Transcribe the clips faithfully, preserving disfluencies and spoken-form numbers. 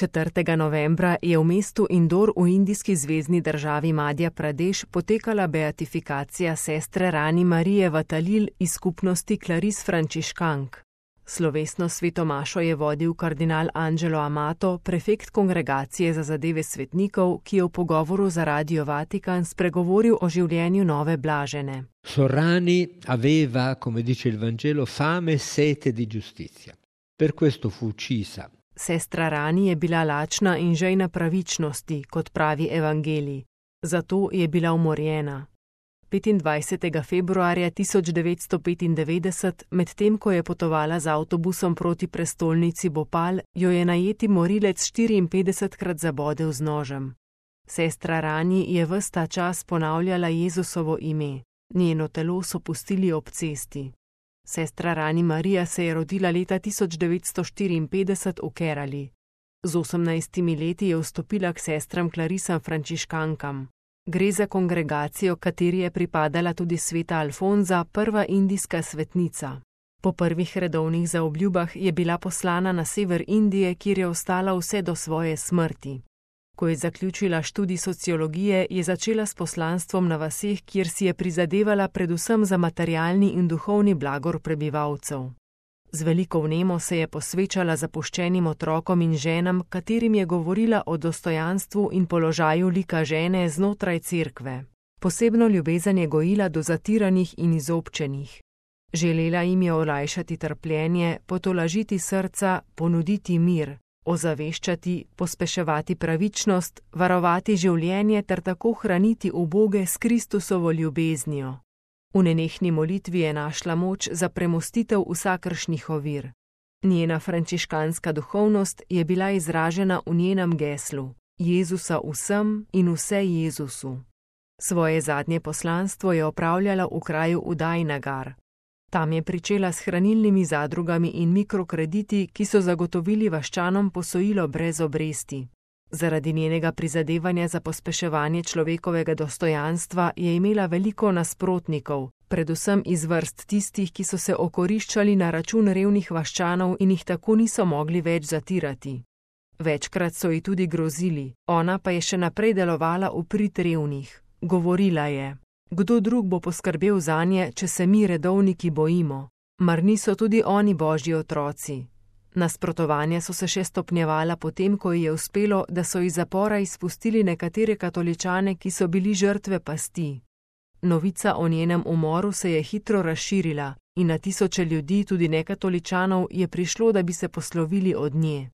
četrtega novembra je v mestu Indor v indijski zvezni državi Madhja Pradeš potekala beatifikacija sestre Rani Marije Vatalil iz skupnosti Claris Frančiškank. Slovesno svetomašo je vodil kardinal Angelo Amato, prefekt kongregacije za zadeve svetnikov, ki je v pogovoru za Radio Vatikan spregovoril o življenju nove blažene. Sorrani aveva, come dice il Vangelo, fame e sete di giustizia. Per questo fu uccisa. Sestra Rani je bila lačna in žejna pravičnosti, kot pravi evangelij. Zato je bila umorjena. petindvajsetega februarja tisoč devetsto petindevetdeset, medtem ko je potovala z avtobusom proti prestolnici Bhopal, jo je najeti morilec štiriinpetdesetkrat zabodel z nožem. Sestra Rani je ves ta čas ponavljala Jezusovo ime. Njeno telo so pustili ob cesti. Sestra Rani Marija se je rodila leta tisoč devetsto štiriinpetdeset v Kerali. Z osemnajstimi leti je vstopila k sestram Clarisam Frančiškankam. Gre za kongregacijo, kateri je pripadala tudi sveta Alfonza, prva indijska svetnica. Po prvih redovnih zaobljubah je bila poslana na sever Indije, kjer je ostala vse do svoje smrti. Ko je zaključila študij sociologije, je začela s poslanstvom na vaseh, kjer si je prizadevala predvsem za materialni in duhovni blagor prebivalcev. Z veliko vnemo se je posvečala zapuščenim otrokom in ženam, katerim je govorila o dostojanstvu in položaju lika žene znotraj cerkve. Posebno ljubezen je gojila do zatiranih in izobčenih. Želela jim je olajšati trpljenje, potolažiti srca, ponuditi mir, ozaveščati, pospeševati pravičnost, varovati življenje ter tako hraniti uboge s Kristusovo ljubeznijo. V nenehni molitvi je našla moč za premostitev vsakršnih ovir. Njena frančiškanska duhovnost je bila izražena v njenem geslu: Jezusa vsem in vse Jezusu. Svoje zadnje poslanstvo je opravljala v kraju Udajnagar. Tam je pričela s hranilnimi zadrugami in mikrokrediti, ki so zagotovili vaščanom posojilo brez obresti. Zaradi njenega prizadevanja za pospeševanje človekovega dostojanstva je imela veliko nasprotnikov, predvsem iz vrst tistih, ki so se okoriščali na račun revnih vaščanov in jih tako niso mogli več zatirati. Večkrat so ji tudi grozili, ona pa je še naprej delovala v prid revnih. Govorila je: kdo drug bo poskrbel zanje, če se mi redovniki bojimo? Mar niso tudi oni božji otroci? Nasprotovanja so se še stopnjevala potem, ko ji je uspelo, da so iz zapora izpustili nekatere katoličane, ki so bili žrtve pasti. Novica o njenem umoru se je hitro razširila in na tisoče ljudi, tudi nekatoličanov, je prišlo, da bi se poslovili od nje.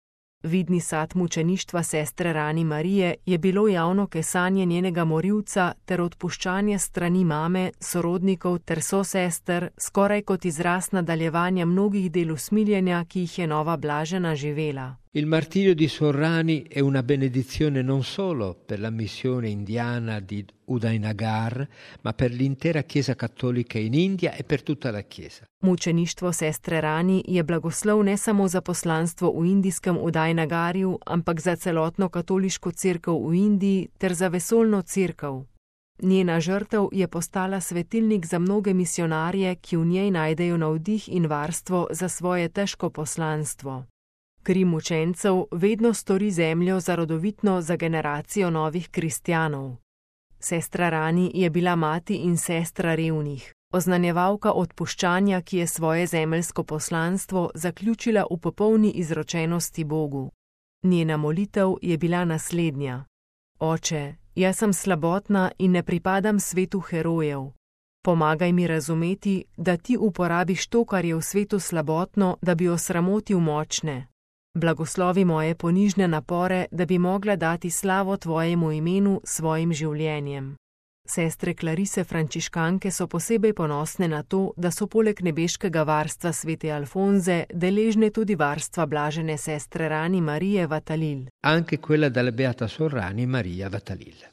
Vidni sad mučeništva sestre Rani Marije je bilo javno kesanje njenega morilca ter odpuščanje strani mame, sorodnikov ter sosester, skoraj kot izraz nadaljevanja mnogih del usmiljenja, ki jih je nova blažena živela. Il martirio di Sorrani è una benedizione non solo per la missione indiana di Udaynagar, ma per l'intera Chiesa cattolica in India e per tutta la Chiesa. Mučeništvo sestre Rani je blagoslov ne samo za poslanstvo v indijskem Udajnagarju, ampak za celotno katoliško cerkev v Indiji ter za vesoljno cerkev. Njena žrtev je postala svetilnik za mnoge misionarje, ki v njej najdejo navdih in varstvo za svoje težko poslanstvo. Kri mučencev vedno stori zemljo za rodovitno za generacijo novih kristjanov. Sestra Rani je bila mati in sestra revnih, oznanjevalka odpuščanja, ki je svoje zemeljsko poslanstvo zaključila v popolni izročenosti Bogu. Njena molitev je bila naslednja: Oče, jaz sem slabotna in ne pripadam svetu herojev. Pomagaj mi razumeti, da ti uporabiš to, kar je v svetu slabotno, da bi osramotil močne. Blagoslovi moje ponižne napore, da bi mogla dati slavo tvojemu imenu svojim življenjem. Sestre Clarise Frančiškanke so posebej ponosne na to, da so poleg nebeškega varstva svete Alfonze deležne tudi varstva blažene sestre Rani Marije Vatalil. Anche quella della beata Sor Rani Maria Vatalil.